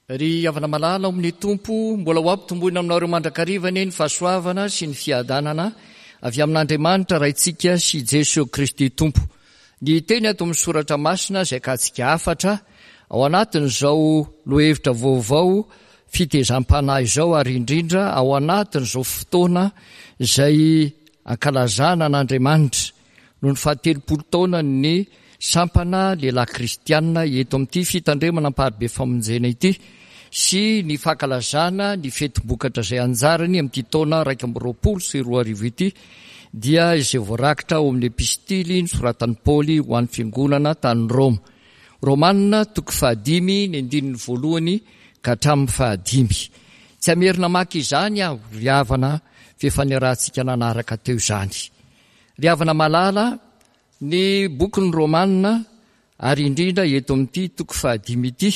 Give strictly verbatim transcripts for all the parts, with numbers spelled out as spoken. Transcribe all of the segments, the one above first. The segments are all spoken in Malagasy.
Ry havana malala ao amin'ny Tompo, mbola ho ampitomboina aminareo mandrakariva anie ny fahasoavana sy ny fiadanana avy amin'Andriamanitra Raintsika sy Jesoa Kristy Tompo. Ny teny ato amin'ny Soratra Masina izay akatsika hafatra ao anatin'izao lohahevitra vaovao fitezam-panahy izao ary indrindra ao anatin'izao fotoana izay ankalazana an'Andriamanitra noho ny fahatelopolo taonan'ny sampana lehilahy kristianina eto amin'ity fitandremana Amparibe Famonjena ity sy ny fankalazana ny fetim-bokatra izay anjarany amin'ity taona iraika amby roapolo sy roa arivo ity dia izay voarakitra ao amin'ny epistily nosoratan'i Paoly ho an'ny fiangonana tany Roma. Romanina toko fahadimy ny andininy voalohany ka hatramin'ny fahadimy. Tsy hamerina maka izany aho ry havana fa efa niarahantsika nanaraka teo izany. Ry havana malala, ny bokin'ny Romana ary indrindra eto amin'ity toko fahadimy ity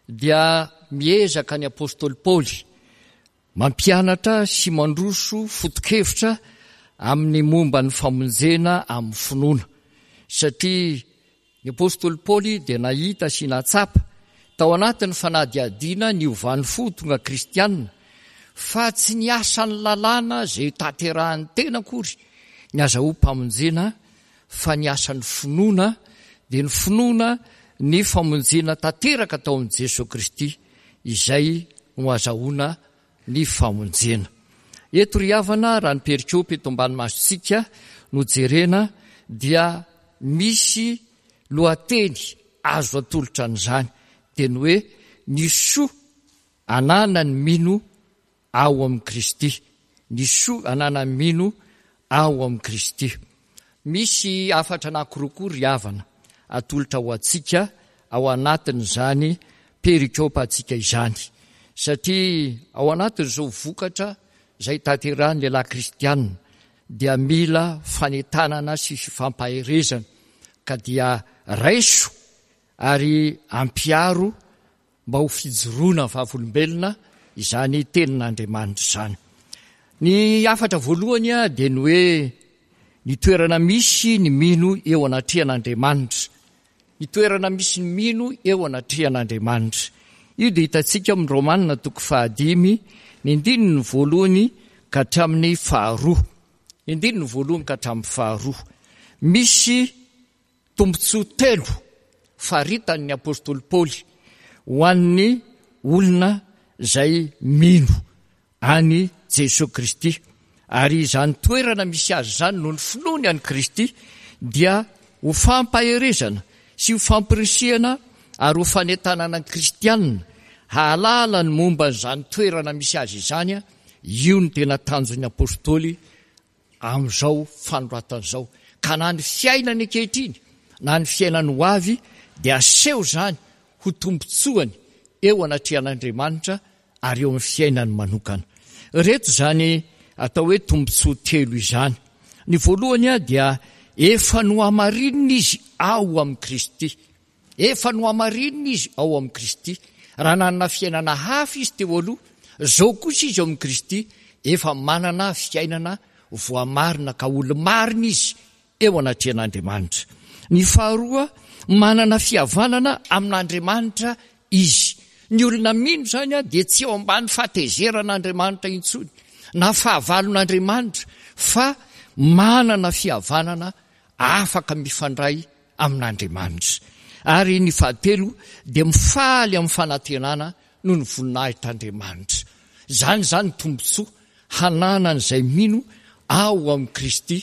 dia miezaka ny apostoly Paoly mampianatra sy mandroso foto-kevitra amin'ny momba ny famonjena amin'ny finoana, satria ny apostoly Paoly dia nahita sy nahatsapa tao anatin'ny fanadihadiana niovan'ny fo tonga kristianina fa tsy ny asan'ny lalàna izay tanterahan'ny tena akory ny azahoam-pamonjena fa ny asan'ny finoana dia ny finoana ny famonjena tanteraka tao amin'i Jesoa Kristy izay no azahoana ny famonjena. Eto ry havana, raha ny perikopy eto ambany masontsika no jerena dia misy lohateny azo atolotra an'izany dia ny hoe ny soa ananan'ny mino ao amin'i Kristy. Ny soa ananan'ny mino ao amin'i Kristy. Misy hafatra anankiroa koa ry havana atolotra ho antsika ao anatin'izany perikopantsika izany, satria ao anatin'izao vokatra izay tanterahan'ny lehilahy kristianina dia mila fanentanana sy fifampaherezana, ka dia raiso ary ampiaro mba ho fijoroana vavolombelona izany tenin'Andriamanitra izany. Ny hafatra voalohany dia ny hoe ny toerana misy ny mino eo anatrehan'Andriamanitra. Ny toerana misy ny mino eo anatrehan'Andriamanitra. Io dia hitantsika amin'ny Romanina toko fahadimy, ny andininy voalohany ka hatramin'ny faharoa. Ny andininy voalohany ka hatramin'ny faharoa. Misy tombontsoa telo faritan'ny apostoly Paoly ho an'ny olona izay mino an'i Jesoa Kristy. Ary izany toerana misy azy izany noho ny finoany an'i Kristy dia ho fampaherezana sy ho fampirisihana ary ho fanentanana ny kristianina hahalala ny momba an'izany toerana misy azy izany. Io no tena tanjon'ny apostoly amin'izao fanoratana izao. Ka na ny fiainany ankehitriny na ny fiainany ho avy dia aseho izany ho tombontsoany eo anatrehan'Andriamanitra ary eo amin'ny fiainany manokana. Ireto izany atao hoe tombontsoa telo izany. Ny voalohany dia efa nohamarinina izy ao amin'i Kristy. Efa nohamarinina izy ao amin'i Kristy. Raha nanana fiainana hafa izy teo aloha, izao kosa izy ao amin'i Kristy efa manana fiainana voamarina ka olo-marina izy eo anatrehan'Andriamanitra. Ny faharoa, manana fihavanana amin'Andriamanitra izy. Ny olona mino izany dia tsy eo ambany fahatezeran'Andriamanitra intsony na fahavalon'Andriamanitra fa manana fihavanana afaka mifandray amin'Andriamanitra. Ary ny fahatelo dia mifaly amin'ny fanantenana noho ny voninahitr'Andriamanitra. Izany izany tombontsoa hananan'izay mino ao amin'i Kristy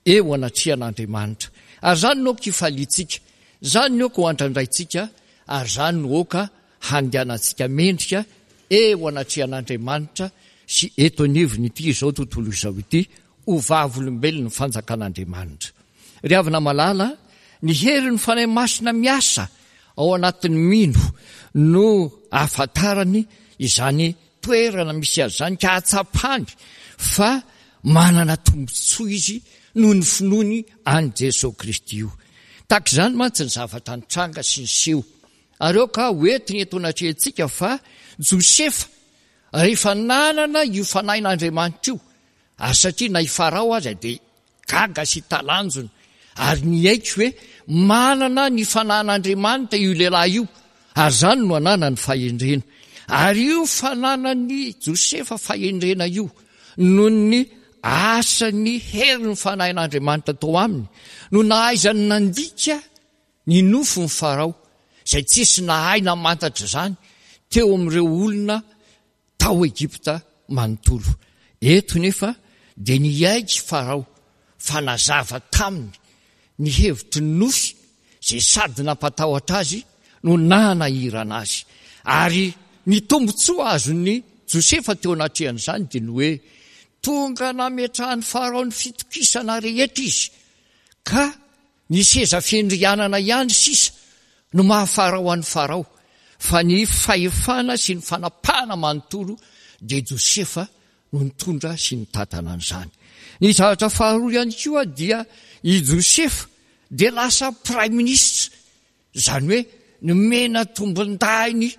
eo anatrehan'Andriamanitra. Ary izany no aoka hifaliantsika, izany no aoka ho andrandraintsika, ary izany no aoka handehanantsika mendrika eo anatrehan'Andriamanitra sy eto anivon'ity izao tontolo izao ity ho vavolombelon'ny fanjakan'Andriamanitra. Ry havana malala, ny herin'ny Fanahy Masina miasa ao anatin'ny mino no ahafantarany izany toerana misy azy izany ka ahatsapany fa manana tombontsoa izy noho ny finoany an'i Jesoa Kristy io. Tahaka izany mantsy ny zavatra nitranga sy niseho. Ary aoka ho entiny eto anatrehantsika fa Josefa rehefa nanana io fanahin'Andriamanitra io, ary satria na i Farao aza dia gaga sy talanjona ary niaiky hoe manana ny fanahin'Andriamanitra io lehilahy io, ary izany no ananany fahendrena. Ary io fananan'i Josefa fahendrena io noho ny asan'ny herin'ny Fanahin'Andriamanitra tao aminy no nahaizany nandika ny nofin'i Farao, izay tsisy nahay namantatra izany teo amin'ireo olona tao Egypta manontolo. Eto nefa dia niaiky Farao fa nazava taminy ny hevitry ny nofy izay sady nampatahotra azy no nanahirana azy. Ary ny tombontsoa azon'i Josefa teo anatrehan'izany dia ny hoe tonga nametrahan'i Farao ny fitokisana rehetra izy, ka ny seza fiandrianana ihany sisa no maha Farao an'i Farao, fa ny fahefana sy ny fanapahana manontolo dia Josefa no nitondra sy nitantana an'izany. Ny zavatra faharoa ihany koa dia i Josefa dia lasa praiminisitra, izany hoe nomena tombondahiny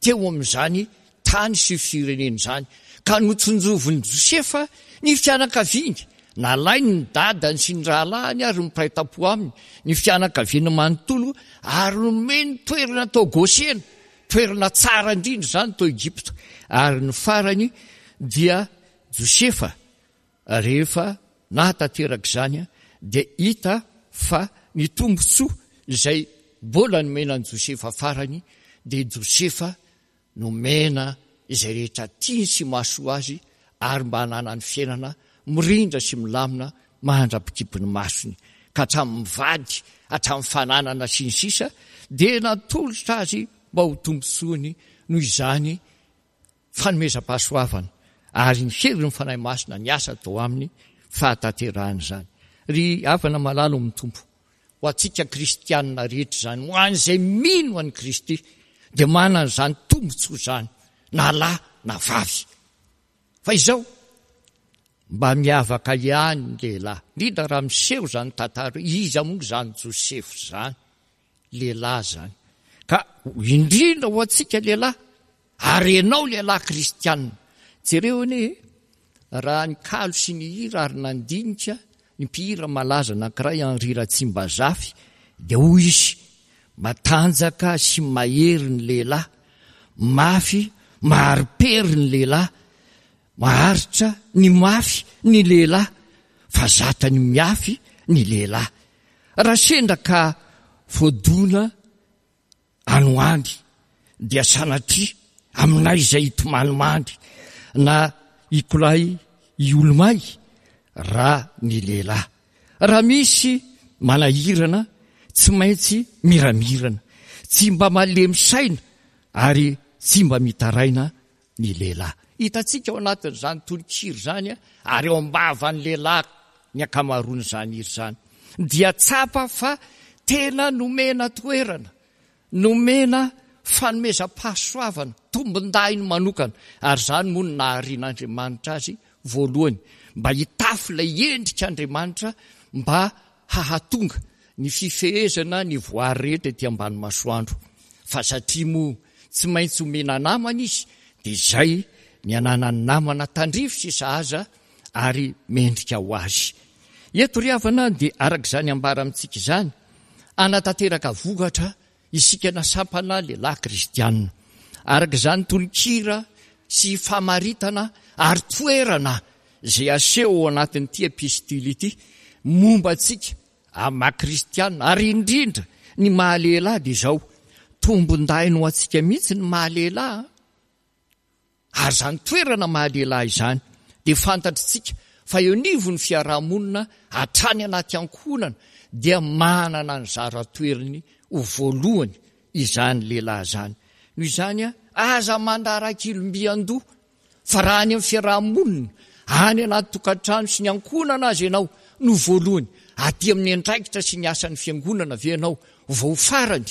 teo amin'izany tany sy firenena izany, ka notsinjovin'i Josefa ny fianakaviany, nalainy ny dadany sy ny rahalahiny ary ny mpiray tampo aminy, ny fianakaviany manontolo, ary nomeny toerana tao Gosena, toerana tsara indrindra izany tao Egypta. Ary ny farany dia Josefa rehefa nahatanteraka izany dia hita fa ny tombontsoa izay mbola nomena an'i Josefa farany dia Josefa nomena izay rehetra tiany sy mahasoa azy ary mba hananany fiainana mirindra sy milamina mandra-pikipy ny masony, ka hatramin'ny vady, hatramin'ny fananana sy ny sisa dia natolotra azy mba ho tombontsoany noho izany fanomezam-pahasoavana ary ny herin'ny Fanahy Masina niasa tao aminy fahatanterahana izany. Ry havana malala ao amin'ny Tompo, ho antsika kristianina rehetra izany, ho an'izay mino an'i Kristy dia manana izany tombontsoa izany, na lahy na vavy. Fa izao, mba miavaka ihany ny lehilahy, indrindra raha miseho izany tantara, iza moa izany Josefa izany, lehilahy izany. Ka indrindra ho antsika lehilahy, ary ianao lehilahy kristianina, jereo anie raha ny kalo sy ny hira ary nandinika ny mpihira malaza anankiray Henri Ratsimbazafy, dia hoy izy, matanjaka sy mahery ny lehilahy, mafy mahari-pery ny lehilahy, maharitra ny mafy ny lehilahy, fa zatra ny miafy ny lehilahy. Raha sendra ka voadona any ho any dia sanatria aminay izay hitomany na hikolay hiolomay raha ny lehilahy. Raha misy manahirana tsy maintsy miramirana, tsy mba malemy saina ary tsy mba mitaraina ny lehilahy. Hitantsika ao anatin'izany tononkira izany ary eo am-bavan'ny lehilahy ny ankamaroan'izany hira izany, dia tsapa fa tena nomena toerana, nomena fanomezam-pahasoavana, tombondahiny manokana, ary izany moa no naharian'Andriamanitra azy voalohany, mba hitafy ilay endrik'Andriamanitra mba hahatonga ny fifehezana ny voary rehetra ety ambany masoandro. Fa satria moa tsy maintsy omena namana izy, dia izay ny ananany namana tandrify sy sahaza ary mendrika ho azy. Eto ry havana dia araka izany ambara amintsika izany, hanatanteraka vokatra isika na sampana lehilahy kristianina. Araka izany tononkira sy famaritana ary toerana izay aseho ao anatin'ity epistily ity momba antsika amin'ny maha kristianina, ary indrindra ny maha lehilahy, dia izao, tombondahiny ho antsika mihitsy ny maha lehilahy. Ary izany toerana maha lehilahy izany dia fantatritsika fa eo anivon'ny fiarahamonina hatrany anaty ankohonana dia manana ny zara toerany ho voalohany izany lehilahy izany. Noho izany, aza mandrarak'ilombian-doha, fa raha any amin'ny fiarahamonina, any anaty tokantrano sy ny ankohonana aza ianao no voalohany, aty amin'ny andraikitra sy ny asan'ny fiangonana ve ianao vao farany?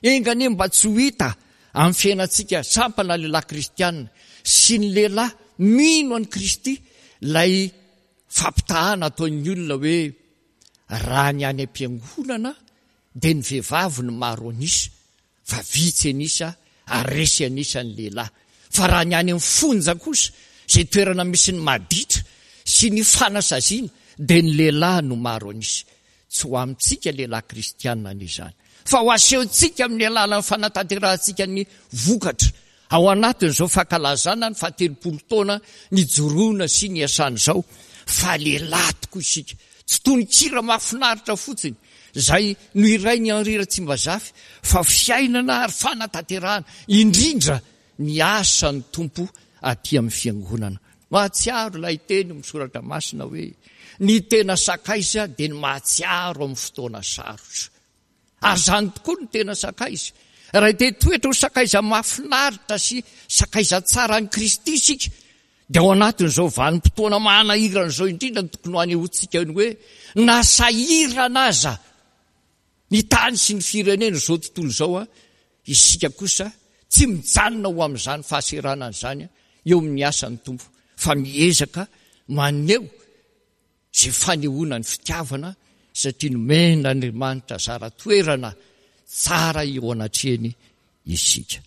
Enga anie mba tsy ho hita amin'ny fiainantsika sampana lehilahy kristianina sy ny lehilahy mino an'i Kristy ilay fampitahana ataon'ny olona hoe raha ny any am-piangonana dia ny vehivavy no maro an'isa fa vitsy an'isa ary resy an'isa ny lehilahy, fa raha ny any amin'ny fonja kosa izay toerana misy ny maditra sy ny fanasaziana dia ny lehilahy no maro an'isa. Tsy ho amintsika lehilahy kristianina anie izany, fa ho asehontsika amin'ny alalan'ny fanatanterahantsika ny vokatra Ao anatin'izao fankalazana ny fahatelopolo taona nijoroana sy niasana izao, fa lehilahy tokoa isika. Tsy tononkira mahafinaritra fotsiny izay nohirain'i Henri Ratsimbazafy, fa fiainana ary fanatanterahana indrindra ny asan'ny Tompo aty amin'ny fiangonana. Mahatsiaro ilay teny amin'ny soratra masina hoe ny tena sakaiza dia ny mahatsiaro amin'ny fotoana sarotra. Ary izany tokoa no tena sakaiza. Raha te hitoetra ho sakaiza mahafinaritra sy sakaiza tsara an'i Kristy isika, dia ao anatin'izao vanim-potoana manahirana izao indrindra no tokony hanehoantsika ny hoe na sahirana aza ny tany sy ny firenena izao tontolo izao, isika kosa tsy mijanona ho amin'izany fahaseranana izany eo amin'ny asan'ny Tompo, fa miezaka maneho izay fanehoana ny fitiavana, satria nomen'Andriamanitra zara toerana tsara eo anatrehany isika.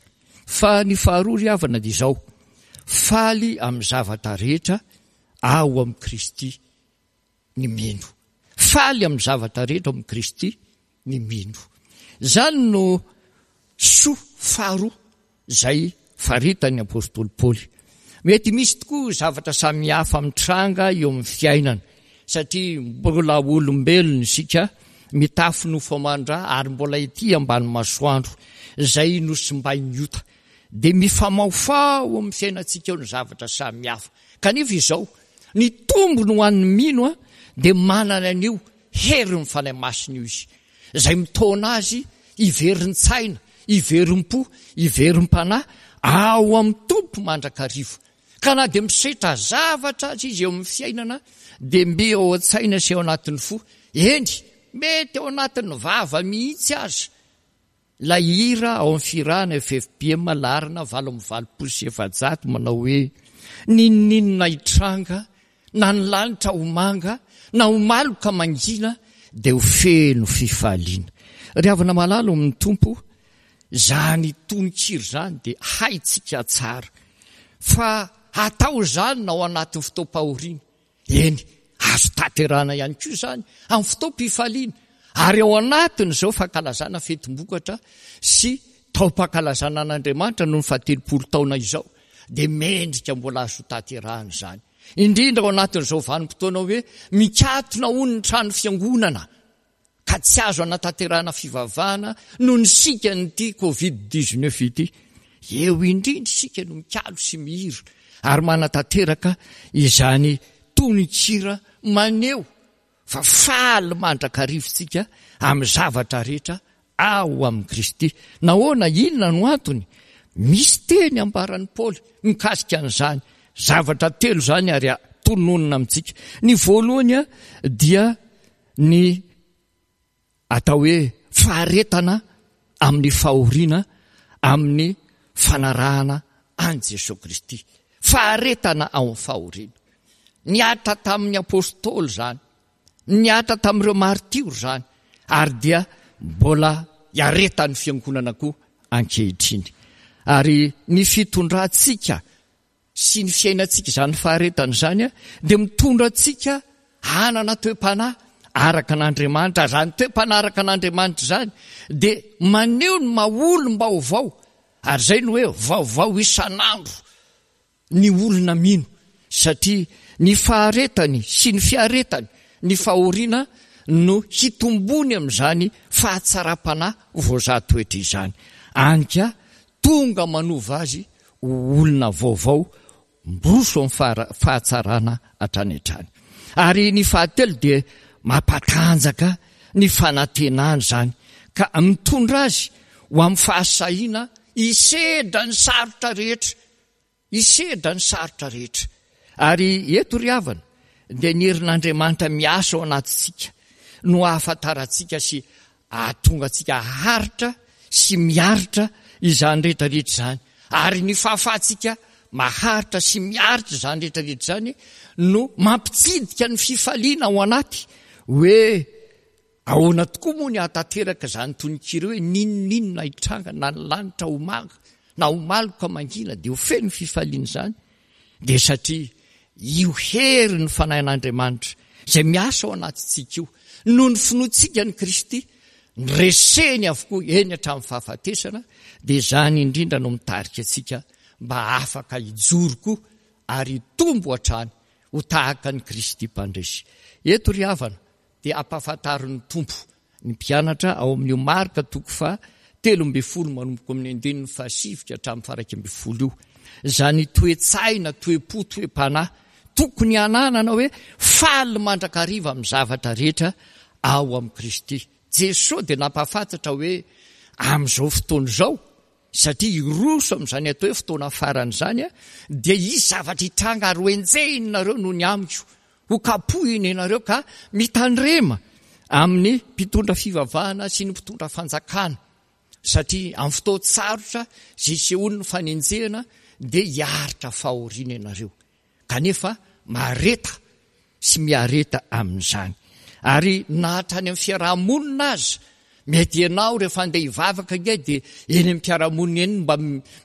Fa ny faharoa ry havana dia izao, faly amin'ny zavatra rehetra ao amin'i Kristy ny mino. Faly amin'ny zavatra rehetra ao amin'i Kristy ny mino. Izany no soa faharoa izay faritan'ny apostoly Paoly. Mety misy tokoa zavatra samihafa mitranga eo amin'ny fiainana, satria mbola olombelona isika, mitafy nofo aman-dra ary mbola ety ambany masoandro izay nosimbain'ny ota. Dia mifamahofaho amin'ny fiainantsika eo ny zavatra samihafa. Kanefa izao, ny tombony ho an'ny mino dia manana an'io herin'ny Fanahy Masina io izy, izay mitaona azy hiverin-tsaina, hiverim-po, hiverim-panahy ao amin'ny Tompo mandrakariva. Ka na dia misetra zavatra aza izy eo amin'ny fiainana, dia mby ao an-tsaina sy ao anatin'ny fo, eny, mety ao anatin'ny vava mihitsy aza, ilay hira ao amin'ny fihirana F F P M laharana valo amby valopolo sy efajato manao hoe, N'inon'inona hitranga, na ny lanitra ho manga, na ho maloka mangina, dia ho feno fifaliana. Ry havana malala ao amin'ny Tompo, izany tononkira izany dia haintsika tsara fa hatao izany na ao anatin'ny fotoam-pahoriana. Eny, azo tanterahana ihany koa izany amin'ny fotoam-pifaliana, ary ao anatin'izao fankalazana fetim-bokatra sy taom-pankalazana an'Andriamanitra noho ny fahatelopolo taona izao, dia mendrika mbola azo tanterahana izany. Indrindra ao anatin'izao vanim-potoana hoe mikatona hono ny trano fiangonana, ka tsy azo anatanterahana fivavahana noho ny sikan'ity covid dix-neuf ity. Eo indrindra isika no mikalo sy mihira ary manatanteraka izany tononkira maneho fa faly mandrakariva isika amin'ny zavatra rehetra ao amin'i Kristy. Nahoana? Inona no antony? Misy teny ambaran'i Paoly mikasika an'izany zavatra telo izany ary tononina amintsika. Ny voalohany dia ny atao hoe faharetana amin'ny fahoriana amin'ny fanarahana an'i Jesoa Kristy. Faharetana ao amin'ny fahoriana. Niatra tamin'ny apôstôly izany, niatra tamin'ireo martiora izany, ary dia mbola iaretan'ny fiangonana koa ankehitriny. Ary ny fitondrantsika sy ny fiainantsika izany faharetana izany dia mitondra antsika hanana toe-panahy araka an'Andriamanitra. Izany toe-panahy araka an'Andriamanitra izany dia maneho ny maha olom-baovao, ary izay no hoe vaovao isan'andro ny olona mino, satria ny faharetany sy ny fiaretany ny fahoriana no hitombony amin'izany fahatsaram-panahy voazaha toetra izany. Any ka tonga manova azy ho olona vaovao miroso amin'ny fahara-, fahatsarana hatrany hatrany. Ary ny fahatelo dia mampatanjaka ny fanantenana izany, ka mitondra azy ho amin'ny fahasahiana hisedra ny sarotra rehetra. Hisedra ny sarotra rehetra. Ary eto ry havana dia ny herin'Andriamanitra miasa ao anatintsika no ahafantarantsika sy ahatonga antsika haharitra sy miaritra izany rehetra rehetra izany. Ary ny fahafahantsika maharitra sy miaritra izany rehetra rehetra izany no mampitsidika ny fifaliana ao anaty hoe ahoana tokoa moa ny hahatanteraka izany tononkira hoe n'inon'inona hitranga na ny lanitra ho manga na ho maloka mangina dia ho feno fifaliana izany. Dia satria io hery ny fanahin'Andriamanitra izay miasa ao anatintsika io noho ny finoantsika ny Kristy Noreseny avokoa eny hatramin'ny fahafatesana, dia izany indrindra no mitarika antsika mba afaka hijoro koa ary hitombo hatrany ho tahaka an'i Kristy Mpandresy. Eto ry havana dia ampahafantarin'ny Tompo ny mpianatra ao amin'io Marka toko faha telo ambin'ny folo manomboka amin'ny andininy fahasivy ka hatramin'ny faha iraika ambin'ny folo io. Izany toe-tsaina, toe-po, toe-panahy tokony hananana hoe faly mandrakariva amin'ny zavatra rehetra ao amin'i Kristy. Jesoa dia nampahafantatra hoe amin'izao fotoana izao, satria hiroso amin'izany atao hoe fotoana farany izany, dia hisy zavatra hitranga ary hoenjehinareo noho ny amiko, ho kapohina ianareo ka mitandrema amin'ny mpitondra fivavahana sy ny mpitondra fanjakana, satria amin'ny fotoan-tsarotra izay hisehoan'ny fanenjehana dia hiaritra fahoriana ianareo. Kanefa mahareta sy miareta amin'izany. Ary na hatrany amin'ny fiaraha-monina aza, mety ianao rehefa handeha hivavaka ange dia eny amin'ny mpiara-monina eny mba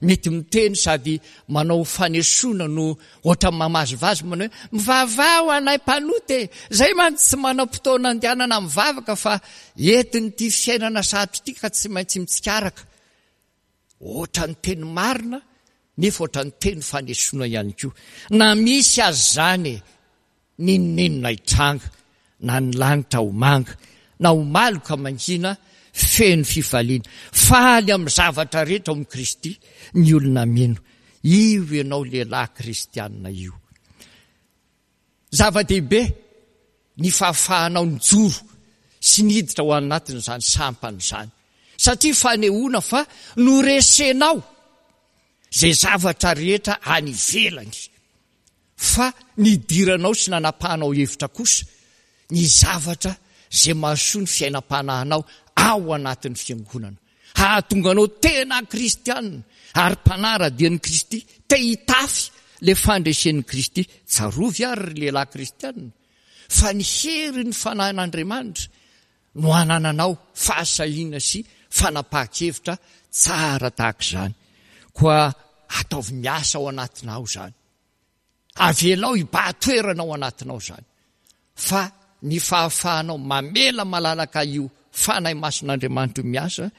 mety miteny sady manao fanesoana no ohatran'ny mamazivazy manao hoe mivavaha ho anay mpanota e! Izay mantsy tsy manam-potoana andehanana mivavaka fa entin'ity fiainana sarotra ity ka tsy maintsy mitsikaraka. Ohatran'ny teny marina nefa ohatran'ny teny fanesoana ihany koa. Na misy aza izany e! N'inon'inona hitranga, na ny lanitra ho manga, na ho maloka mangina, feno fifaliana. Faly amin'ny zavatra rehetra ao amin'i Kristy ny olona mino. Io ianao lehilahy kristiana io. Zava-dehibe ny fahafahanao nijoro sy niditra ao anatin'izany sampana izany, satria fanehoana fa noresenao izay zavatra rehetra any ivelany. Fa nidiranao sy nanapahanao hevitra kosa ny zavatra izay mahasoa ny fiainam-panahinao ao anatin'ny fiangonana, hahatonga anao tena kristiana ary mpanara-dia an'i Kristy, te hitafy ilay fandresen'i Kristy. Tsarovy àry ry lehilahy kristiana fa ny herin'ny Fanahin'Andriamanitra no hanananao fahasahiana sy fanapahan-kevitra tsara tahaka izany. Koa ataovy miasa ao anatinao izany. Avelao hibahan-toerana ao anatinao izany. Fa ny fahafahanao mamela malalaka io Fanahy Masin'Andriamanitra io miasa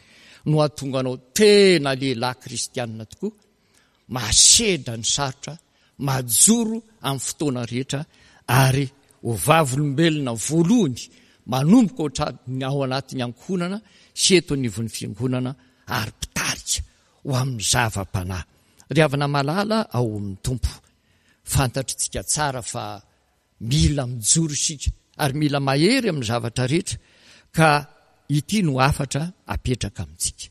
no hahatonga anao tena lehilahy kristianina tokoa, mahasedra ny sarotra, mahajoro amin'ny fotoana rehetra ary ho vavolombelona voalohany manomboka hatrany ao anatin'ny ankohonana sy eto anivon'ny fiangonana ary mpitarika ho amin'ny zava-panahy. Ry havana malala ao amin'ny Tompo, fantatritsika tsara fa mila mijoro isika ary mila mahery amin'ny zavatra rehetra ka ity no hafatra apetraka amintsika.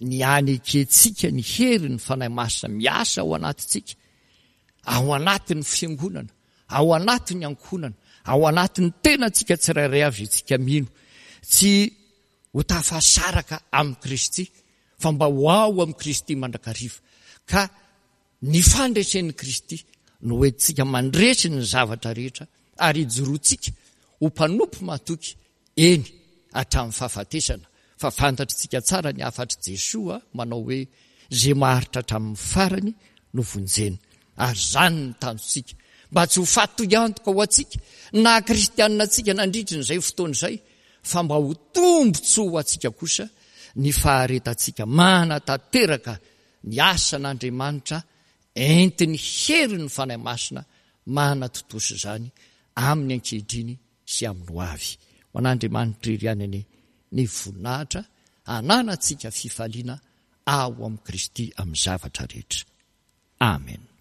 Ny hanekentsika ny herin'ny Fanahy Masina miasa ao anatintsika, ao anatin'ny fiangonana, ao anatin'ny ankohonana, ao anatin'ny tenantsika tsirairay avy isika mino, tsy ho tafasaraka amin'i Kristy, fa mba ho ao amin'i Kristy mandrakariva. Ka ny fandresen'i Kristy no hoentintsika mandresy ny zavatra rehetra ary hijoroantsika ho mpanompo mahatoky, eny hatramin'ny fahafatesana, fa fantatritsika tsara ny hafatr'i Jesoa manao hoe, Izay maharitra hatramin'ny farany no vonjena. Ary izany no tanjontsika, mba tsy ho fatoiantoka ho antsika na kristianina antsika nandritry ny izay fotoana izay, fa mba ho tombontsoa ho antsika kosa ny faharetantsika manatanteraka ny asan'Andriamanitra entin'ny herin'ny Fanahy Masina manatontosa izany amin'ny ankehitriny sy amin'ny ho avy. Ho an'Andriamanitra irery ihany anie ny voninahitra hananantsika fifaliana ao amin'i Kristy amin'ny zavatra rehetra. Amen.